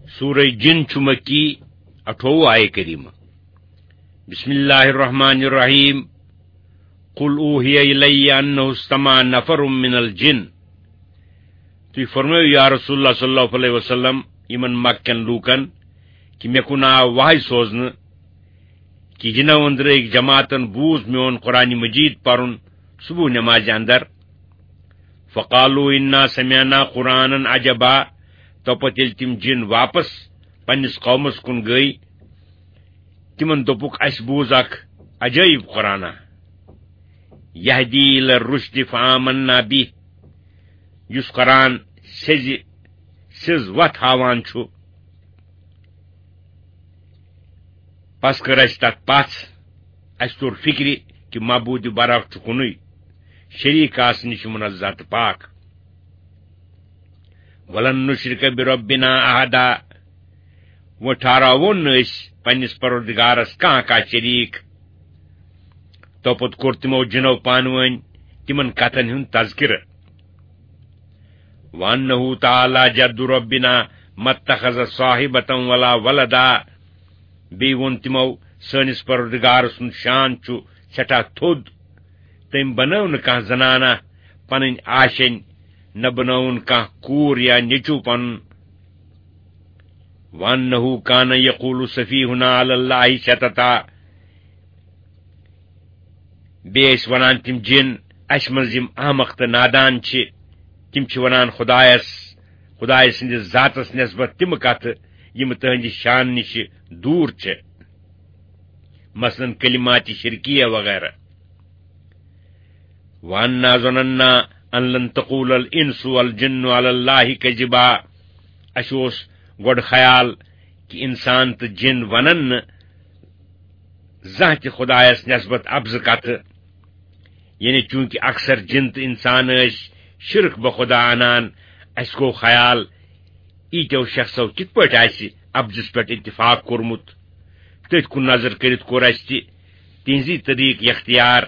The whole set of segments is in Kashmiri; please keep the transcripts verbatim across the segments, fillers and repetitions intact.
سورہ جن چھُ مکی، اَٹھووُہ آیہِ کریمہ۔ بسم اللہ الرحمن الرحیم۔ قل اوحی الی انہ استمع نفر من الجن۔ تُہۍ فرمٲیِو یا رسول اللہ صلی اللہ علیہ وسلم یِمن مکہ کٮ۪ن لوٗکن کہِ مےٚ کُن آو وحی سوزنہٕ کہِ جِنو أنٛدرٕ أکۍ جماعتن بوٗز میون قرآن مجید پرُن صبح نمازِ اندر۔ فقالوا انا سمعنا قرآنا عجبا۔ تو پتہٕ ییٚلہِ تِم جِن واپس پننِس قومس کُن گٔے، تِمن دوٚپُکھ، اسہِ بوٗز اکھ عجٲیب قرآنا، یہدی الی الرشد فآمنا بہ، یُس قرآن سیٚزِ، سیٚز وتھ ہاوان چھُ۔ پس کٔر اسہِ تتھ پژھ۔ اسہِ توٚر فکرِ کہِ معبود برحق چھُ کُنُے، شریک آسنہٕ نِش منزہ تہٕ پاک۔ ولن نشرک بربنا احدا۔ وۄنۍ ٹھہراوون نہٕ أسۍ پننِس پروردگارس کانٛہہ کانٛہہ شریک۔ تو پتہٕ کوٚر تِمو جِنو پانہٕ وٲنۍ تِمن کتھن ہُنٛد تذکرٕ۔ وَأَنَّهُ تَعَالَى جَدُّ رَبِّنَا مَا اتَّخَذَ صَاحِبَةً وَلَا وَلَدًا۔ بیٚیہِ ووٚن تِمو، سٲنِس پروردگار سُنٛد شان چھُ سٮ۪ٹھاہ تھوٚد۔ تٔمۍ بنٲو نہٕ کانٛہہ زنانہ پنٕنۍ آشینۍ، نہ بنٲوُن کانٛہہ کوٗر یا نیٚچوٗ پنُن۔ وَأَنَّهُ كَانَ يَقُولُ سَفِيهُنَا عَلَى اللَّهِ شَطَطًا۔ بیٚیہِ ٲسۍ وَنان تِم جِن، اَسہِ منٛز یِم احمق تہٕ نادان چھِ، تِم چھِ وَنان خۄدایَس، خۄدایہِ سٕنٛدِس ذاتَس نٮ۪سبَت تِم کَتھٕ، یِم تٕہٕنٛدِ شانہٕ نِش دوٗر چھِ، مثلاً کلماتِ شرکیہ وغیرہ۔ وَأَنَّا ظَنَنَّا أَن لَّن تَقُولَ الْإِنسُ وَالْجِنُّ عَلَى اللَّهِ كَذِبًا۔ اَسہِ اوس گۄڈٕ خیال کہِ اِنسان تہٕ جِن وَنَن نہٕ زانٛہہ تہِ خۄدایَس نٮ۪سبَت اَپزٕ کَتھٕ۔ یعنی چوٗنٛکہِ اکثر جِن تہٕ اِنسان ٲسۍ شِرک بخۄدا اَنان، اَسہِ گوٚو خیال، ییٖتیو شخصو کِتھ پٲٹھۍ آسہِ اَپزِس پٮ۪ٹھ اتفاق کوٚرمُت؟ تٔتھۍ کُن نظر کٔرِتھ کوٚر اَسہِ تہِ تِہنٛزی طریٖقہٕ اختیار۔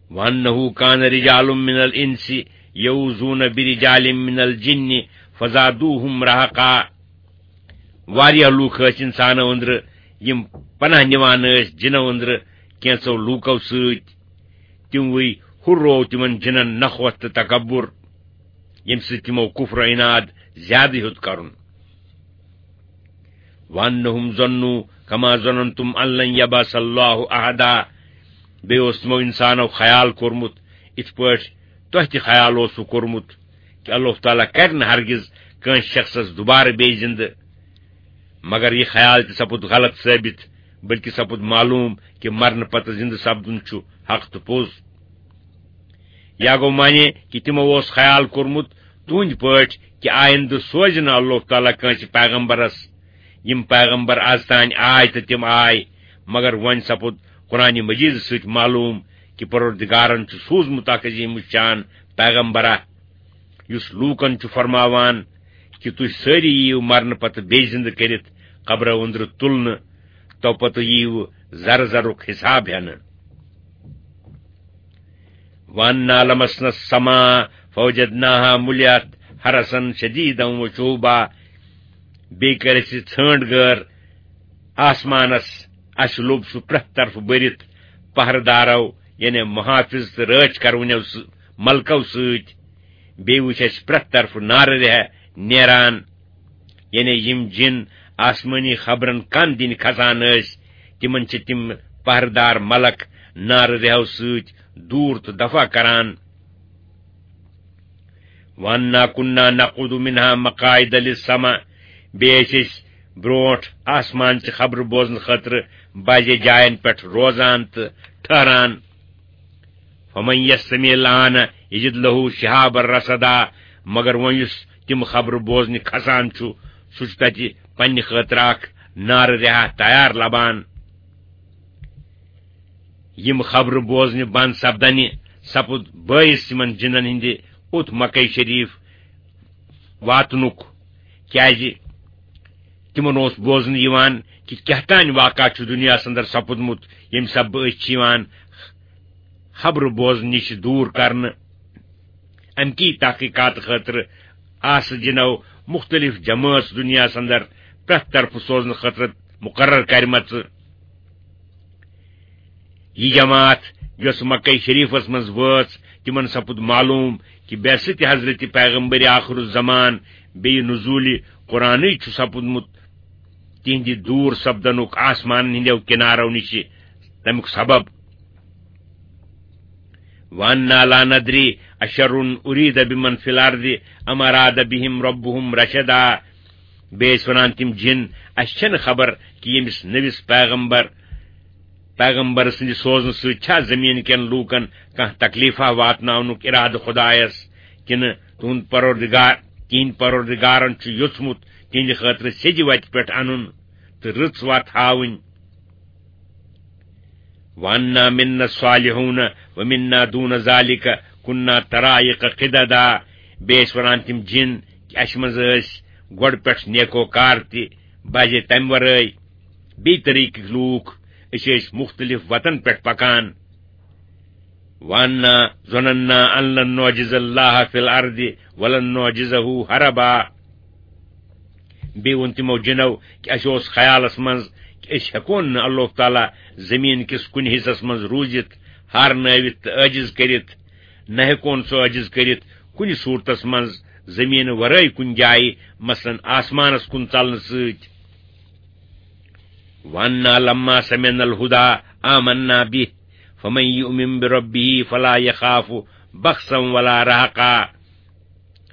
وَأَنَّهُ كَانَ رِجَالٌ مِّنَ الْإِنسِ يَعُوذُونَ بِرِجَالٍ مِّنَ الْجِنِّ فَزَادُوهُمْ رَهَقًا۔ واریاہ لوٗکھ ٲسۍ اِنسانو أنٛدرٕ، یِم پناہ نِوان ٲسۍ جِنو أنٛدرٕ کینٛژو لوٗکو سۭتۍ۔ تِموٕے ہُرروو تِمن جِنن نخوت تہٕ تکبر، ییٚمہِ سۭتۍ تِمو کفر و عناد زیادٕ ہیوٚت کرُن۔ وَأَنَّهُمْ ظَنُّوا كَمَا ظَنَنْتُمْ أَن لَّن يَبْعَثَ اللَّهُ أَحَدًا۔ بیٚیہِ اوس تِمو اِنسانو خیال کوٚرمُت، یِتھ پٲٹھۍ تۄہہِ تہِ خیال اوسوٕ کوٚرمُت کہِ اللہ تعالیٰ کرِ نہٕ ہرگز کٲنٛسہِ شخصس دُبارٕ بیٚیہِ زِندٕ۔ مگر یہِ خیال تہِ سپُد غلط ثٲبت، بلکہِ سپُد معلوم کہِ مرنہٕ پتہٕ زِندٕ سپدُن چھُ حق تہٕ پوٚز۔ یا گوٚو معنی کہِ تِمو اوس خیال کوٚرمُت تُہنٛدِ پٲٹھۍ کہِ آیندٕ سوزِ نہٕ اللہ تعالیٰ کٲنٛسہِ پیغمبرس۔ یِم پیغمبر از تام آے تہٕ تِم آے، مگر وۄنۍ سپُد قرآن مجیدس سۭتۍ معلوم کہِ پروردگارن چھُ سوٗزمُت اکھ عظیم الشان پیغمبرا، یُس لوٗکن چھُ فرماوان کہِ تُہۍ سٲری یِیِو مرنہٕ پتہٕ بیٚیہِ زِندٕ کٔرِتھ قبرو أنٛدرٕ تُلنہٕ، تو پتہٕ یِیِو ذرٕ ذرُک حساب ہٮ۪نہٕ۔ وَأَنَّا لَمَسْنَا السَّمَاءَ فَوَجَدْنَاهَا مُلِئَتْ حَرَسًا شَدِيدًا وَشُهُبًا۔ بیٚیہِ کٔر اَسہِ ژھٲنٛڈ گٲر آسمانس، اَسہِ لوٚب سُہ پرٛٮ۪تھ طرفہٕ بٔرِتھ پہرٕ دارو، یعنی محافظ تہٕ رٲچھ کرونیو سۭ-، ملکو سۭتۍ۔ بیٚیہِ وٕچھ اَسہِ پرٛٮ۪تھ طرفہٕ نارٕ رِہہ نیران۔ یعنی یِم جِن آسمٲنی خبرن کن دِنہِ کھسان ٲسۍ، تِمن چھِ تِم پہرٕدار ملک نارٕ رِہو سۭتۍ دوٗر تہٕ دفع کران۔ وَأَنَّا كُنَّا نَقْعُدُ مِنْهَا مَقَاعِدَ لِلسَّمْعِ۔ بیٚیہِ ٲسۍ أسۍ برونٛٹھ آسمان چہِ خبرٕ بوزنہٕ خٲطرٕ بعضے جاین پٮ۪ٹھ روزان تہٕ ٹھہران۔ فَمَن يَسْتَمِعِ الْآنَ يَجِدْ لَهُ شِهَابًا رَصَدًا۔ مگر وۄنۍ یُس تِم خبرٕ بوزنہِ کھسان چھُ، سُہ چھُ تَتہِ پننہِ خٲطرٕ اکھ نارٕ رِہا تیار لبان۔ یِم خبرٕ بوزنہِ بنٛد سپدنہِ سپُد بٲعث یِمن جِنن ہٕنٛدِ اوٚت مکے شریف واتنُک، کیازِ تِمن اوس بوزنہٕ یِوان کہِ کیٛاہ تام واقعہ چھُ دُنیاہَس اندر سپُدمُت، ییٚمہِ سببہٕ أسۍ چھِ یِوان خبرٕ بوزنہٕ نِش دوٗر کرنہٕ۔ امکی تحقیقات خٲطرٕ آسہٕ جِنو مختلف جمٲژ دُنیاہَس اندر پرٛٮ۪تھ طرفہٕ سوزنہٕ خٲطرٕ مقرر کرِمژٕ۔ یہِ جماعت، یۄس مکہ شریفس منٛز وٲژ، تِمن سپُد معلوم کہِ بعثت حضرت پیغمبر آخر الزمان بیٚیہِ نزول قرآنٕے چھُ سپُدمُت، تِہنٛدِ دوٗر سپدنُک آسمانن ہٕنٛدیو کنارو نِش تمیُک سبب۔ وَأَنَّا لَا نَدْرِي أَشَرٌ أُرِيدَ بِمَنْ فِي الْأَرْضِ أَمْ أَرَادَ بِهِمْ رَبُّهُمْ رَشَدًا۔ بیٚیہِ ٲسۍ وَنان تِم جِن، اَسہِ چھَنہٕ خبر کہِ ییٚمِس نٔوِس پیغمبر، پیغمبر سٕنٛدِ سوزنہٕ سۭتۍ چھا زٔمیٖن کٮ۪ن لوٗکَن کانٛہہ تکلیٖفا واتناونُک اِرادٕ خۄدایَس، کِنہٕ تُہُنٛد پروردگار، تِہِنٛدِ پروردگارَن چھُ یوٚژھمُت تِہِنٛدِ خٲطرٕ سیٚدِ وَتہِ پٮ۪ٹھ اَنُن تہٕ رٕژ وَتھ ہاوٕنۍ۔ وَأَنَّا مِنَّا الصَّالِحُونَ وَمِنَّا دُونَ ذَلِكَ كُنَّا طَرَائِقَ قِدَدًا۔ بیٚیہِ ٲسۍ وَنان تِم جِن کہِ اَسہِ منٛز ٲسۍ گۄڈٕ پٮ۪ٹھ نیکوکار تہِ، بعضے تَمہِ وَرٲے بیٚیہِ طریٖقٕکۍ لوٗکھ، أسۍ ٲسۍ مُختٔلِف وَتَن پٮ۪ٹھ پَکان۔ وَأَنَّا ظَنَنَّا أَن لَّن نُّعْجِزَ اللَّهَ فِي الْأَرْضِ وَلَن نُّعْجِزَهُ هَرَبًا۔ بیٚیہِ ووٚن تِمو جِنو کہِ اَسہِ اوس خیالَس منٛز کہِ أسۍ ہٮ۪کون نہٕ اللہ تعالیٰ زٔمیٖن کِس کُنہِ حِصَس منٛز روٗزِتھ، ہارنٲوِتھ تہٕ عٲجِز کٔرِتھ، نہ ہٮ۪کون سُہ عٲجِز کٔرِتھ کُنہِ صوٗرتَس منٛز زٔمیٖنہٕ وَرٲے کُنہِ جایہِ، مثلاً آسمانَس کُن ژَلنہٕ سۭتۍ۔ وَأَنَّا لَمَّا سَمِعْنَا الْهُدَىٰ آمَنَّا بِهِ فَمَن يُؤْمِن بِرَبِّهِ فَلَا يَخَافُ بَخْسًا وَلَا رَهَقًا۔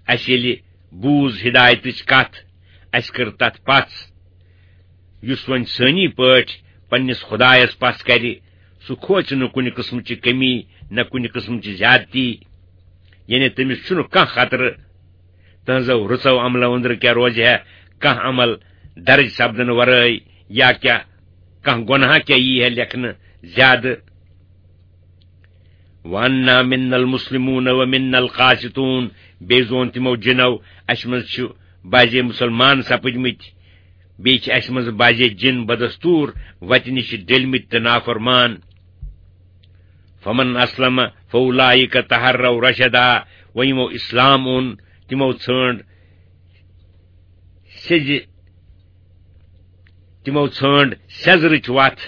اَسہِ ییٚلہِ بوٗز ہدایتٕچ کتھ، اَسہِ کٔر تتھ پژھ۔ یُس وۄنۍ سٲنی پٲٹھۍ پننِس خدایس پژھ کرِ، سُہ کھوژِ نہٕ کُنہِ قٕسمٕچہِ کمی، نہ کُنہِ قٕسمٕچہِ زیادتی۔ یعنی تٔمِس چھُنہٕ کانٛہہ خطرٕ۔ تہنٛزو رٕژو عملو أنٛدرٕ کیٛاہ روزِ ہے کانٛہہ عمل درج سپدنہٕ ورٲے، یا کیٛاہ کانٛہہ گۄناہ کیٛاہ یی ہے لیکھنہٕ زیادٕ؟ وَأَنَّا مِنَّا الْمُسْلِمُونَ وَمِنَّا الْقَاسِطُونَ۔ بیٚیہِ زون تِمو جِنو، اَسہِ منٛز چھِ بعضے مُسلمان سپٕدمٕتۍ، بیٚیہِ چھِ اَسہِ منٛز بعضے جِن بدستوٗر وَتہِ نِش ڈٔلۍمٕتۍ تہٕ نافرمان۔ فَمَنْ أَسْلَمَ فَأُولَٰئِكَ تَحَرَّوْا رَشَدًا۔ وۄنۍ یِمو اِسلام اوٚن، تِمو ژھٲنٛڈ سیٚزِ، تِمو ژھٲنٛڈ سیٚزرٕچ وَتھ،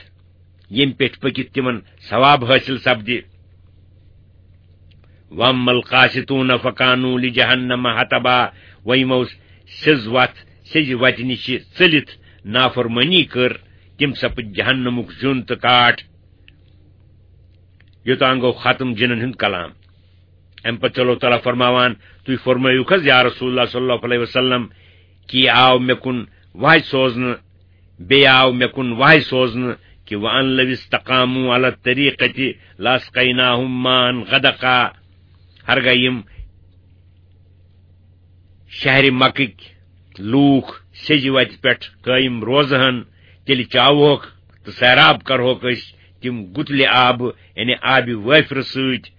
ییٚمہِ پٮ۪ٹھ پٔکِتھ تِمن ثواب حٲصِل سپدِ۔ وَأَمَّا الْقَاسِطُونَ فَكَانُوا لِجَهَنَّمَ حَطَبًا۔ وۄنۍ یِمو سیٚز وَتھ، سیٚزِ وَتہِ نِش ژٔلِتھ نافرمٲنی کٔر، تِم سپٕدۍ جہنمُک زیُن تہٕ کاٹھ۔ یوٚتام گوٚو ختم جِنن ہُنٛد کلام۔ اَمہِ پتہٕ چھُ اللہ تعالیٰ فرماوان، تُہۍ فرمٲیِو حظ یا رسول اللہ صلی اللہ علیہ وسلم، کہِ یہِ آو مےٚ کُن وحی سوزنہٕ، بیٚیہِ آو مےٚ کُن وحی سوزنہٕ کہِ وَأَن لَوِ اسْتَقَامُوا عَلَى الطَّرِيقَةِ لَأَسْقَيْنَاهُم مَّاءً غَدَقًا۔ ہرگاہ یِم شہرِ مکٕکۍ لوٗکھ سیٚزِ وتہِ پٮ۪ٹھ قٲیِم روزٕ ہن، تیٚلہِ چاوہوکھ تہٕ سیراب کرہوکھ أسۍ تِم گُتلہِ آبہٕ، یعنی آبِ وٲفرٕ سۭتۍ۔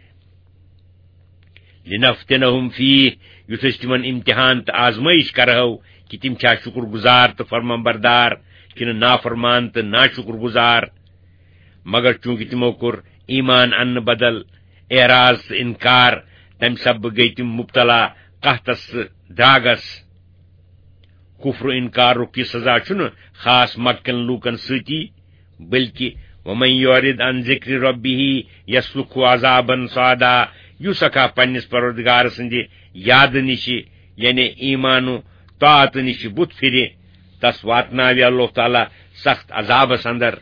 لِنَفْتِنَهُمْ فِيهِ، یُتھ أسۍ تِمن امتحان تہٕ آزمٲیش کرہو کہِ تِم چھا شُکر گُزار تہٕ فرمان بردار کِنہٕ نافرمان تہٕ ناشُکر گُزار۔ مگر چوٗنٛکہِ تِمو کوٚر ایمان اننہٕ بدل اعراض تہٕ انکار، تمہِ سببہٕ گٔیہِ تِم مبتلا قحطس تہٕ دراگس۔ کفر و انکارُک یہِ سزا چھُنہٕ خاص مکہ کٮ۪ن لوٗکن سۭتی، بلکہِ وَمَن يُعْرِضْ عَن ذِكْرِ رَبِّهِ يَسْلُكْهُ عَذَابًا صَعَدًا۔ یُس اکھا پننِس پروردگار سٕنٛدِ یادٕ نِشہِ، یعنی ایمان و طاعت نِشہِ بُتھ پھِرِ، تس واتناوِ اللہ تعالیٰ سخت عذابس اندر۔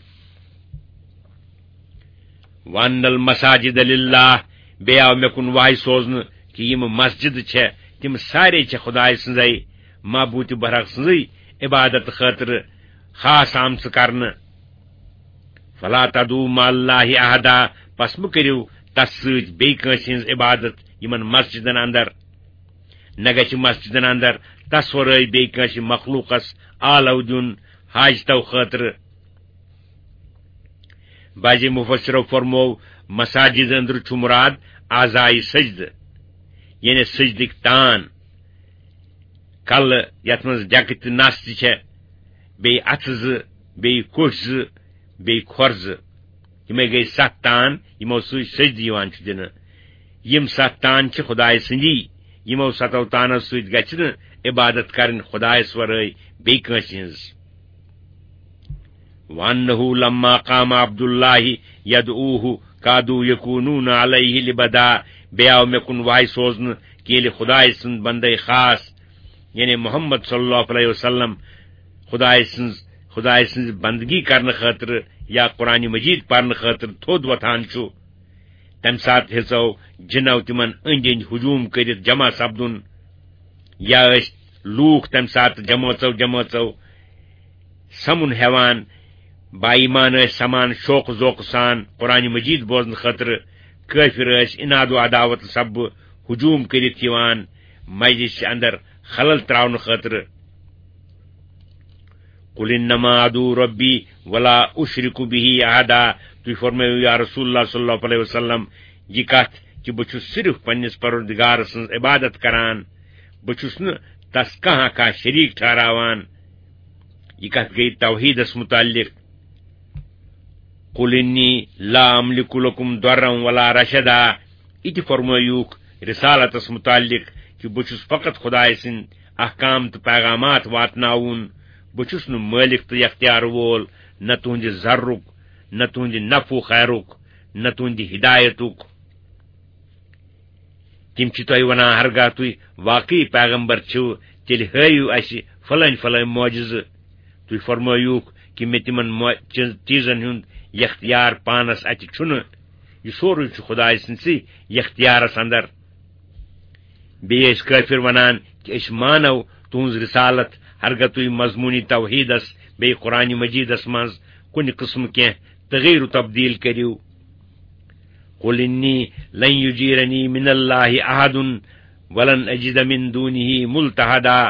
وَأَنَّ الْمَسَاجِدَ لِلَّهِ، بیٚیہِ آو مےٚ کُن وحی سوزنہٕ کہِ یِم مسجد چھےٚ، تِم سارے چھےٚ خدایہِ سٕنٛزے، معبوٗدِ برحق سٕنٛزٕے عبادت خٲطرٕ خاص آمژٕ کرنہٕ۔ فَلَا تَدْعُوا مَعَ اللَّهِ أَحَدًا، پس مہٕ کٔرِو تس سۭتۍ بیٚیہِ کٲنٛسہِ ہٕنٛز عبادت یِمن مسجدن اندر۔ نہ گژھِ مسجدن اندر تس ورٲے بیٚیہِ کٲنٛسہِ مخلوقس آلو دیُن حاجتو خٲطرٕ۔ بعضی مفسرو فرموو، مساجد اندر چھُ مراد اعضائے سجدٕ، یعنی سجدٕکۍ تان، کلہٕ یتھ منٛز ڈیکہٕ تہٕ نس تہِ چھےٚ، بیٚیہِ اتھٕ زٕ، بیٚیہِ کوٚٹھۍ زٕ، بیٚیہِ کھۄر زٕ۔ یِمے گٔے ستھ تان، یِمو سۭتۍ سجدٕ یِوان چھُ دِنہٕ۔ یِم ستھ تان چھِ خدایہِ سٕنٛدی، یِمو ستو تانو سۭتۍ گژھِ نہٕ عبادت کرٕنۍ خدایس ورٲے بیٚیہِ کٲنٛسہِ ہٕنٛز۔ وَأَنَّهُ لَمَّا قَامَ عَبْدُ اللَّهِ يَدْعُوهُ كَادُوا يَكُونُونَ عَلَيْهِ لِبَدًا۔ بیٚیہِ آو مےٚ کُن وحی سوزنہٕ کہِ ییٚلہِ خدایہِ سُنٛد بندے خاص، یعنی محمد صلی اللہ علیہ وسلم، خدایہِ سٕنٛز، خدایہِ سٕنٛز بندگی کرنہٕ خٲطرٕ یا قرآن مجید پرنہٕ خٲطرٕ تھوٚد وۄتھان چھُ، تمہِ ساتہٕ ہیژو جِنو تِمن أنٛدۍ أنٛدۍ ہجوم کٔرِتھ جمع سپدُن، یا ٲسۍ لوٗکھ تمہِ ساتہٕ جمٲژو جمٲژو سمُن ہٮ۪وان، با ایمان ٲسۍ سمان شوق ذوق سان قرآن مجید بوزنہٕ خٲطرٕ، کٲفر ٲسۍ عناد و عداوت سببہٕ ہجوم کٔرِتھ یِوان مجلس اندر خلل تراونہٕ خٲطرٕ۔ قل انما ادعو ربی ولا اشرک به احدا۔ تُہۍ فرمٲیِو یا رسول اللہ صلی اللہ علیہ وسلم، یہِ کتھ کہِ بہٕ چھُس صرف پننِس پروردگار سٕنٛز عبادت کران، بہٕ چھُس نہٕ تس کانٛہہ کانٛہہ شریٖک ٹھہراوان۔ یہِ کتھ گٔے توحیدس متعلق۔ قل انی لا املک لکم ضرا ولا رشدا۔ یہِ تہِ فرمٲیوکھ رسالتس متعلق کہِ بہٕ چھُس فقط خدایہِ سٕنٛدۍ احکام تہٕ پیغامات واتناوُن، بہٕ چھُس نہٕ مٲلِک تہٕ یختیار وول، نہ تُہنٛدِ ضرُک، نہ تُہنٛدِ نفع و خیرُک، نہ تُہنٛدِ ہدایتُک۔ تِم چھِ تۄہہِ وَنان، ہرگاہ تُہۍ واقعی پیغمبر چھِو، تیٚلہِ ہٲیِو اَسہِ فلٲنۍ فلٲنۍ معجزٕ۔ تُہۍ فرمٲیوکھ کہِ مےٚ تِمن مو-، چیز-، چیزن ہُنٛد یختیار پانس اَتھِ چھُنہٕ، یہِ سورُے چھُ خدایہِ سٕنٛدسٕے یختیارس اندر۔ بیٚیہِ ٲسۍ کٲفر وَنان کہِ أسۍ مانو تُہٕنٛز رسالت، ہرگاہ تُہۍ مضموٗنی توحیدس بیٚیہِ قرآن مجیدس منٛز کُنہِ قٕسمہٕ کینٛہہ تغییر و تبدیل کٔرِو۔ قل انی لن یجیرنی من اللہ احد ولن اجد من دونہ ملتحدا۔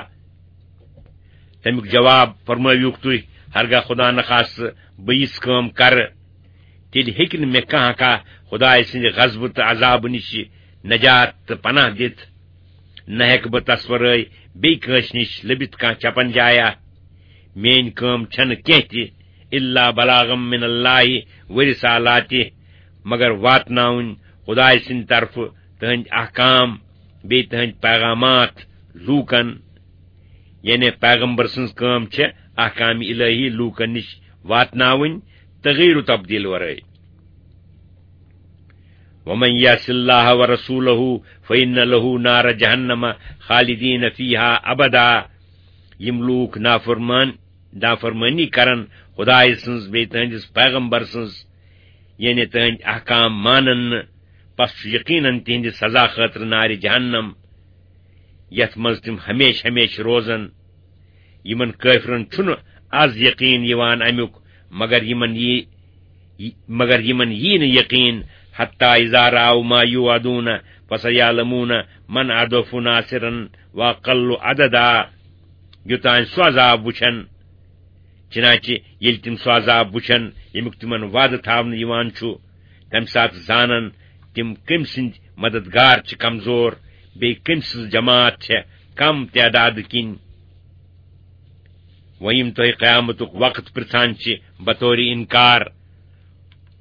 تمیُک جواب فرمٲویوکھ تُہۍ، ہرگاہ خدا نخواستہٕ بہٕ یِژھ کٲم کرٕ، تیٚلہِ ہیٚکہِ نہٕ مےٚ کانٛہہ کانٛہہ خدایہِ سٕنٛدِ غضبہٕ تہٕ عذابہٕ نِش نجات تہٕ پناہ دِتھ۔ نہ ہیٚکہٕ بہٕ تس ورٲے بیٚیہِ کٲنٛسہِ نِش لٔبِتھ کانٛہہ چپن جایا۔ میٲنۍ کٲم چھنہٕ کینٛہہ تہِ الا بلاغا من اللہ و رسالاتہ، مگر واتناوٕنۍ خدایہِ سٕنٛدِ طرفہٕ تہنٛدۍ احکام بیٚیہِ تہنٛدۍ پیغامات لوٗکن۔ یعنی پیغمبر سٕنٛز کٲم چھےٚ احکام الہی لوٗکن نِش واتناوٕنۍ تغییر و تبدیل ورٲے۔ ومن یعص اللہ ورسولہ فإن لہ نار جہنم خالدین فیہا ابدا۔ یِم لوٗکھ نافرمان، نافرمٲنی کرن خدایہِ سٕنٛز بیٚیہِ تہنٛدِس پیغمبر سٕنٛز، یعنی تہنٛدۍ احکام مانن نہٕ، پس چھُ یقیناً تِہنٛدِ سزا خٲطرٕ نارِ جہنم، یتھ منٛز تِم ہمیشہٕ ہمیشہٕ روزن۔ یِمن کٲفرن چھُنہٕ از یقین یِوان امیُک، مگر یِمن یی، مگر یِمن یی نہٕ یقین، حتی اذا رأوا ما یوعدون فسیعلمون من اضعف ناصرا واقل عددا، یوٚتام سُہ عذاب وٕچھن۔ چنانچہ ییٚلہِ تِم سُہ عذاب وٕچھن، ییٚمیُک تِمن وعدٕ تھاونہٕ یِوان چھُ، تمہِ ساتہٕ زانن تِم کٔمۍ سٕنٛدۍ مددگار چھِ کمزور، بیٚیہِ کٔمۍ سٕنٛز جماعت چھےٚ کم تعدادٕ کِنۍ۔ وۄنۍ یِم تۄہہِ قیامتُک وقت پرژھان چھِ بطور انکار،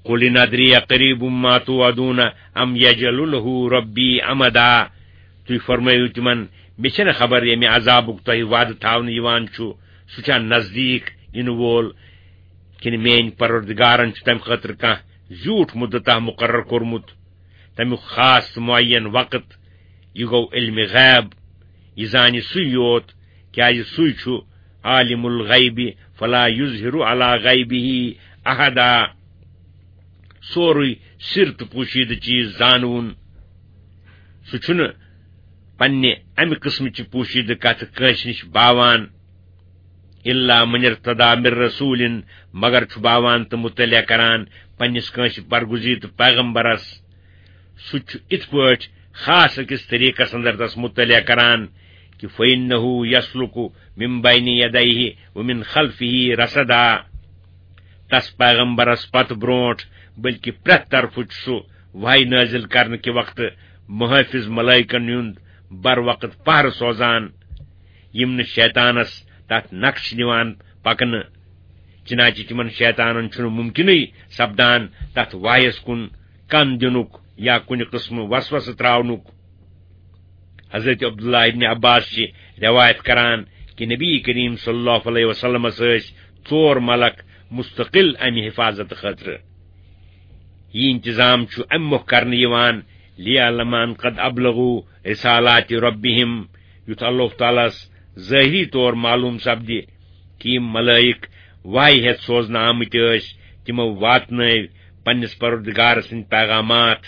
قل ان ادری اقریب ما توعدون ام یجعل لہ ربی امدا۔ تُہۍ فرمٲیِو تِمن، مےٚ چھنہٕ خبر ییٚمہِ عذابُک تۄہہِ وعدٕ تھاونہٕ یِوان چھُ، سُہ چھا نزدیٖک یِنہٕ وول، کِنہٕ میٲنۍ پروردگارن چھُ تمہِ خٲطرٕ کانٛہہ زیوٗٹھ مُدتہ مُقرر کوٚرمُت، تمیُک خاص تہٕ معین وقت؟ یہِ گوٚو علمِ غیب، یہِ زانہِ سُے یوت، کیازِ سُے چھُ عالم الغیب فلا یظہر علی غیبہ احدا۔ سورُے سِر تہٕ پوشیدٕ چیز زانوُن۔ سُہ چھُنہٕ پننہِ امہِ قٕسمٕچہِ پوشیدٕ کتھٕ کٲنٛسہِ نِش باوان۔ الا من ارتضی من رسول، مگر چھُ باوان تہٕ مطلع کران پننِس کٲنٛسہِ برگزیدٕ پیغمبرس۔ سُہ چھُ اِتھ پٲٹھۍ خاص أکِس طریٖقس اندر تس مطلع کران کہِ فإنہ یسلک من بین یدیہ ومن خلفہ رصدا۔ تس پیغمبرس پتہٕ برونٛٹھ، بلکہ پرٛٮ۪تھ طرفہٕ چھُ سُہ وحی نٲزِل کرنہٕ کہِ وقتہٕ محٲفظ ملائکن ہُنٛد بر وقت پہرٕ سوزان، یِم نہٕ شیطانس تتھ نقش نِوان پکنہٕ۔ چنانچہ تِمن شیطانن چھُنہٕ ممکنٕے سپدان تتھ وحیس کُن کن دِنُک یا کُنہِ قٕسمہٕ وسوسہٕ تراونُک۔ حضرت عبداللہ ابن عباس چھِ روایت کران کہِ نبی کریم صلی اللہ علیہ وسلمس ٲسۍ ژور ملک مستقل امہِ حفاظت خٲطرٕ۔ یہِ انتظام چھُ امہِ مۄکھ کرنہٕ یِوان، "لیعلم ان قد ابلغوا رسالات ربہم"، یُتھ اللہ تعالیٰ ہس ظٲہری طور معلوم سپدِ کہِ یِم ملائک وحی ہٮ۪تھ سوزنہٕ آمٕتۍ ٲسۍ، تِمو واتنٲوۍ پننِس پروردگار سٕنٛدۍ پیغامات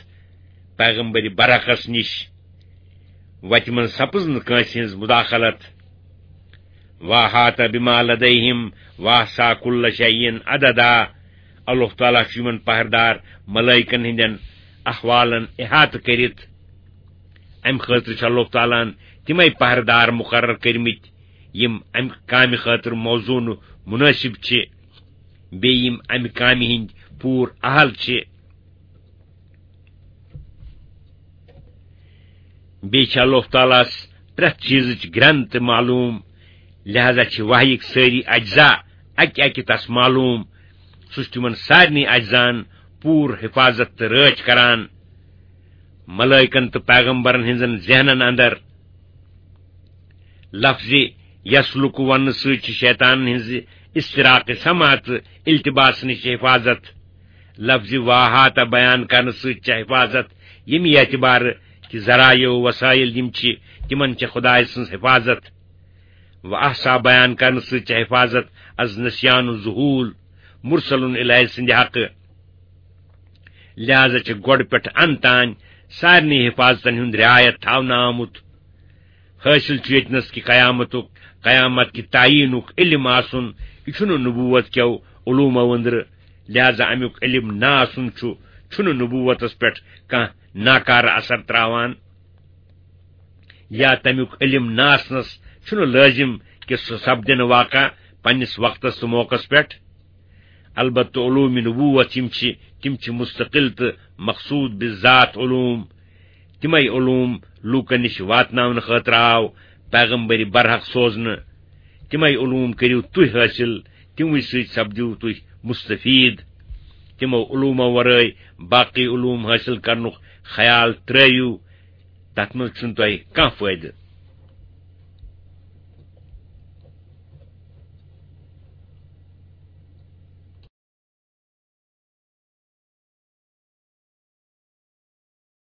پیغمبر برحقس نِش۔ وتہِ منٛز سپٕز نہٕ کٲنٛسہِ ہٕنٛز مداخلت۔ "واحاط بما لدیہم واحصا کل شیء عددا"، اللہ تعالیٰ چھُ یِمن پہردار ملائکن ہٕنٛدٮ۪ن احوالن احاطہٕ کٔرِتھ۔ امہِ خٲطرٕ چھُ اللہ تعالیٰ ہن تِمے پہردار مقرر کٔرمٕتۍ، یِم امہِ کامہِ خٲطرٕ موزوٗن و منٲسب چھِ، بیٚیہِ یِم امہِ کامہِ ہٕنٛدۍ پوٗرٕ اہل چھِ۔ بیٚیہِ چھِ اللہ تعالیٰ ہس پرٛٮ۪تھ چیٖزٕچ گرٛنٛد تہِ معلوٗم، لہذا چھِ وحیِک سٲری اجزا اکہِ اکہِ تس معلوٗم۔ سُہ چھُ تِمن سارنٕے اجزاہن پوٗرٕ حفاظت تہٕ رٲچھ کران۔ ملائکن تہٕ پیغمبرن ہٕنٛزن ذہنن اندر لفظِ یسلک وننہٕ سۭتۍ چھِ شیطانن ہٕنٛزِ استراق سماع تہٕ التباس نِش حفاظت۔ لفظِ واحاطہ بیان کرنہٕ سۭتۍ چھِ حفاظت، ییٚمہِ اعتبارٕ کہِ ذرایع و وسائل یِم چھِ، تِمن چھِ خدایہِ سٕنٛز حفاظت۔ و احصا بیان کرنہٕ سۭتۍ چھِ حفاظت از نسیان و ذہول، مرسل الیہ سٕنٛدِ حقہٕ۔ لہذا چھِ گۄڈٕ پٮ۪ٹھ ان تام سارنٕے حفاظتن ہُنٛد رعایت تھاونہٕ آمُت۔ حٲصِل چھُ ییٚتنَس کہِ قیامتُک، قیامت کہِ تعیٖنُک علم آسُن، یہِ چھُنہٕ نبوت کیو علومو أنٛدرٕ۔ لہذا اَمیُک علم نہ آسُن چھُ، چھُنہٕ نبوتس پٮ۪ٹھ کانٛہہ ناکارٕ اثر تراوان۔ یا تَمیُک علم نہ آسنَس چھُنہٕ لٲزِم کہِ سُہ سپدِ نہٕ واقع پننِس وقتس تہٕ موقعس پٮ۪ٹھ۔ البتہ علوم نبوت یِم چھِ، تِم چھِ مستقل تہٕ مقصود بذات علوم۔ تِمے علوم لوٗکن نِش واتناونہٕ خٲطرٕ آو پیغمبر برحق سوزنہٕ۔ تِمے علوم کٔرِو تُہۍ حٲصِل، تِموٕے سۭتۍ سپدِو تُہۍ مستفید۔ تِمو علومو ورٲے باقی علوم حٲصِل کرنُک خیال ترٲوِو، تتھ منٛز چھُنہٕ تۄہہِ کانٛہہ فٲیدٕ۔